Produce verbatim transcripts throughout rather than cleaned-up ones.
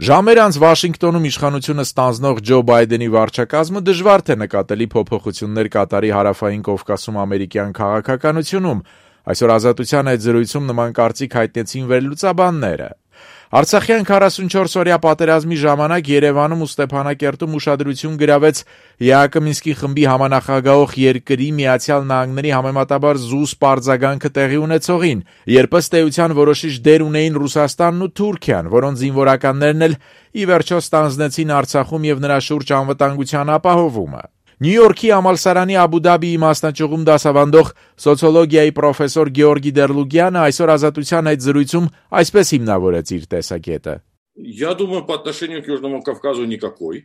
Ժամեր անց Վաշինգտոնում իշխանությունը ստանձնող Ջո Բայդենի վարչակազմը դժվար թե նկատելի փոփոխություններ կատարի հարավային Կովկասում ամերիկյան քաղաքականությունում, այսօր Ազատության այդ զրույցում նման կարծիք հայտնեցին վերլուծաբանները։ Արցախյան քառասունչորս օրյա պատերազմի ժամանակ Երևանում ու Ստեփանակերտում ուշադրություն գրավեց ԵԱՀԿ Մինսկի խմբի համանախագահող երկրի Միացյալ Նահանգների համեմատաբար զուս պարզագանքը տեղի ունեցողին, երբ ըստ էության որոշիչ դեր ունեին Ռուսաստանն ու Թուրքիան, որոնց զինվորականներն էլ ի վերջո ստանձնեցին Արցախում եւ նրա շուրջ անվտանգության ապահովումը։ Նյու Յորքի համալսարանի Աբու Դաբիի մասնաճյուղում դասավանդող սոցիոլոգիայի պրոֆեսոր Գեորգի Դերլուգյանը այսօր Ազատության այդ զրույցում այսպես հիմնավորեց իր տեսակետը. Я думаю, по отношению к Южному Кавказу никакой,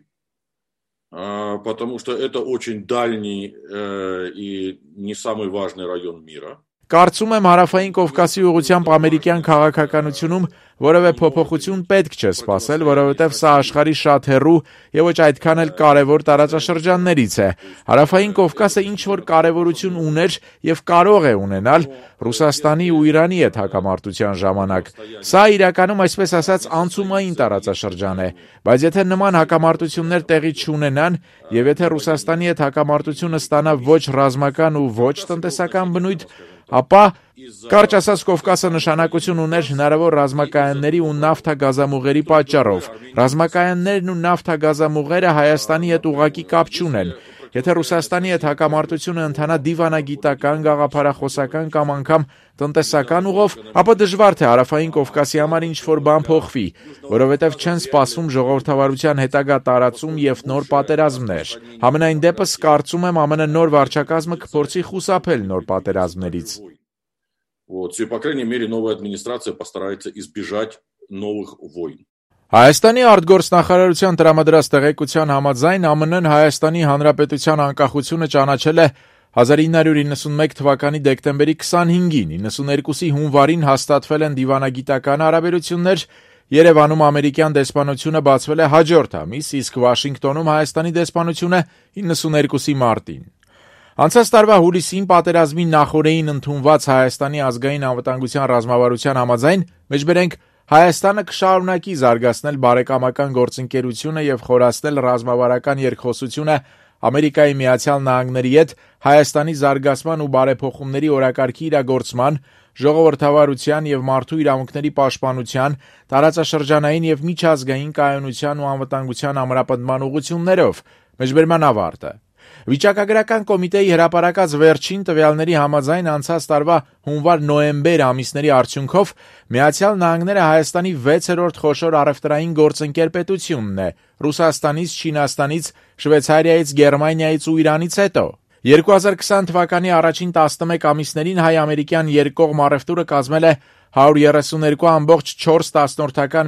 потому что это очень дальний и не самый важный район мира. Կարծում եմ հարավային Կովկասի ուղղությամբ ամերիկյան քաղաքականությունում որևէ փոփոխություն պետք չէ սպասել, որովհետև սա աշխարհի շատ հեռու եւ ոչ այդքան էլ կարևոր տարածաշրջաններից է։ Հարավային Կովկասը ինչ որ կարևորություն ուներ եւ կարող է ունենալ Ռուսաստանի ու Իրանի հետ հակամարտության ժամանակ։ Սա իրականում այսպես ասած անցումային տարածաշրջան է, բայց եթե նման հակամարտություններ տեղի չունենան եւ եթե Ռուսաստանի հետ հակամարտությունը ստանա ոչ ռազմական ու ոչ տնտեսական բնույթ, ապա կարճ ասած Կովկասը նշանակություն ուներ հնարավոր ռազմակայանների ու նավթագազամուղերի պատճառով։ Ռազմակայաններն ու նավթագազամուղերը Հայաստանի հետ ուղղակի կապ չունեն։ Եթե Ռուսաստանի հետ հակամարտությունը ընթանա դիվանագիտական, գաղափարախոսական կամ անգամ տնտեսական ուղով, ապա դժվար թե հարավային Կովկասի համար ինչ-որ բան փոխվի, որովհետև չեն սպասում ժողովրդավարության հետագա տարածում եւ նոր պատերազմներ։ Համենայն դեպս կարծում եմ ԱՄՆ նոր վարչակազմը կփորձի խուսափել նոր պատերազմներից։ Вот, и, по крайней мере, новая администрация постарается избежать новых войн. Հայաստանի արտգործնախարարության տրամադրած տեղեկության համաձայն ԱՄՆ-ն Հայաստանի Հանրապետության անկախությունը ճանաչել է հազար ինը հարյուր իննսունմեկ թվականի դեկտեմբերի քսանհինգին, իննսուներկուսի հունվարին հաստատվել են դիվանագիտական հարաբերություններ, Երևանում ամերիկյան դեսպանությունը բացվել է հաջորդ ամիս, իսկ Վաշինգտոնում Հայաստանի դեսպանությունը իննսուներկուսի մարտին։ Անցած տարվա հուլիսին պատերազմի նախօրեին ընդունված Հայաստանի ազգային անվտանգության ռազմավարության համաձայն, մեջբերենք Հայաստանը կշարունակի զարգացնել բարեկամական գործընկերությունը եւ խորացնել ռազմավարական երկխոսությունը Ամերիկայի Միացյալ Նահանգների հետ Հայաստանի զարգացման ու բարեփոխումների օրակարգի իրագործման, ժողովրդավարության եւ մարդու իրավունքների պաշտպանության, տարածաշրջանային եւ միջազգային կայունության ու անվտանգության ամրապնդման ուղղություններով։ Մեջբերման ավարտը։ Վիճակագրական կոմիտեի հրապարակած վերջին տվյալների համաձայն անցած տարվա հունվար-նոյեմբեր ամիսների արդյունքով Միացյալ Նահանգները Հայաստանի վեցերորդ խոշոր առևտրային գործընկեր պետությունն է, Ռուսաստանից, Չինաստանից, Շվեյցարիայից, Գերմանիայից ու Իրանից հետո։ երկու հազար քսան թվականի առաջին տասնմեկ ամիսներին հայ-ամերիկյան երկկողմ առևտուրը կազմել է հարյուր երեսունհինգ կόμμα չորս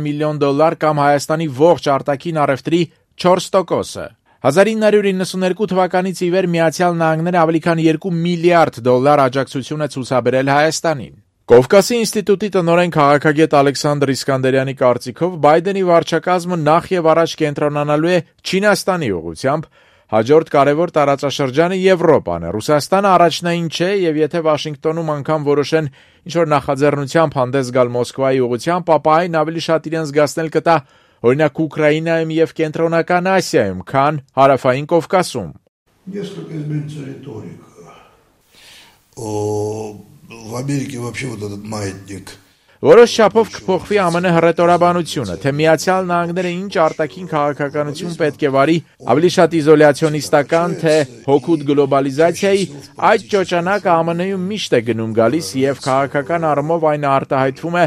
միլիոն դոլար կամ Հայաստանի ողջ արտաքին առևտրի չորս տոկոսը։ հազար ինը հարյուր իննսունհինգ թվականից ի վեր Միացյալ Նահանգները ավելի քան երկու միլիարդ դոլար աջակցություն է ցուցաբերել Հայաստանին։ Կովկասի ինստիտուտի տնօրեն քաղաքագետ Ալեքսանդր Իսկանդերյանի կարծիքով Բայդենի վարչակազմը նախ եւ առաջ կենտրոնանալու է Չինաստանի ուղղությամբ, հաջորդ կարևոր տարածաշրջանը Եվրոպան է։ Ռուսաստանը առաջնային չէ եւ եթե Վաշինգտոնում անգամ որոշեն ինչ-որ նախաձեռնությամբ հանդես գալ Մոսկվայի ուղղությամբ, ապա այն ավելի շատ իրեն զգացնել կտա օրինակ Ուկրաինայում եւ Կենտրոնական Ասիայում, քան հարավային Կովկասում։ Несколько изменится риторика. В Америке вообще вот этот маятник. Որոշ չափով կփոխվի ԱՄՆ հռետորաբանությունը, թե Միացյալ Նահանգները ինչ արտաքին քաղաքականություն պետք է վարի, ավելի շատ իզոլյացիոնիստական, թե հօգուտ գլոբալիզացիայի, այդ ճոճանակը ԱՄՆ-ում միշտ է գնում գալիս եւ քաղաքական առումով այն արտահայտվում է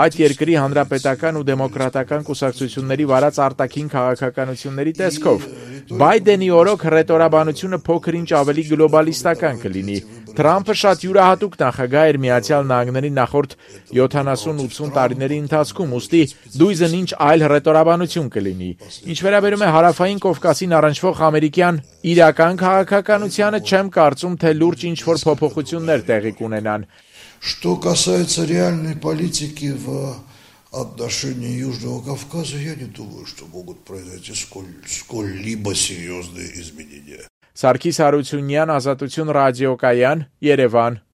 այդ երկրի հանրապետական ու դեմոկրատական կուսակցությունների վարած արտաքին քաղաքականությունների տեսքով։ Բայդենի օրոք հռետորաբանությունը փոքր-ինչ ավելի գլոբալիստական կլինի։ Թրամփը շատ յուրահատուկ նախագահ էր Միացյալ Նահանգների նախորդ յոթանասուն-ութսուն տարիների ընթացքում, ուստի դույզն ինչ այլ հռետորաբանություն կլինի։ Ինչ վերաբերում է հարավային Կովկասին առնչվող ամերիկյան իրական քաղաքականությանը, չեմ կարծում, թե լուրջ ինչ-որ փոփոխություններ տեղի կունենան։ Что касается реальной политики в отношении Южного Кавказа, я не думаю, что могут произойти сколь, сколь-либо серьезные изменения. Սարգիս Հարությունյան, Ազատություն ռադիոկայան, Երևան։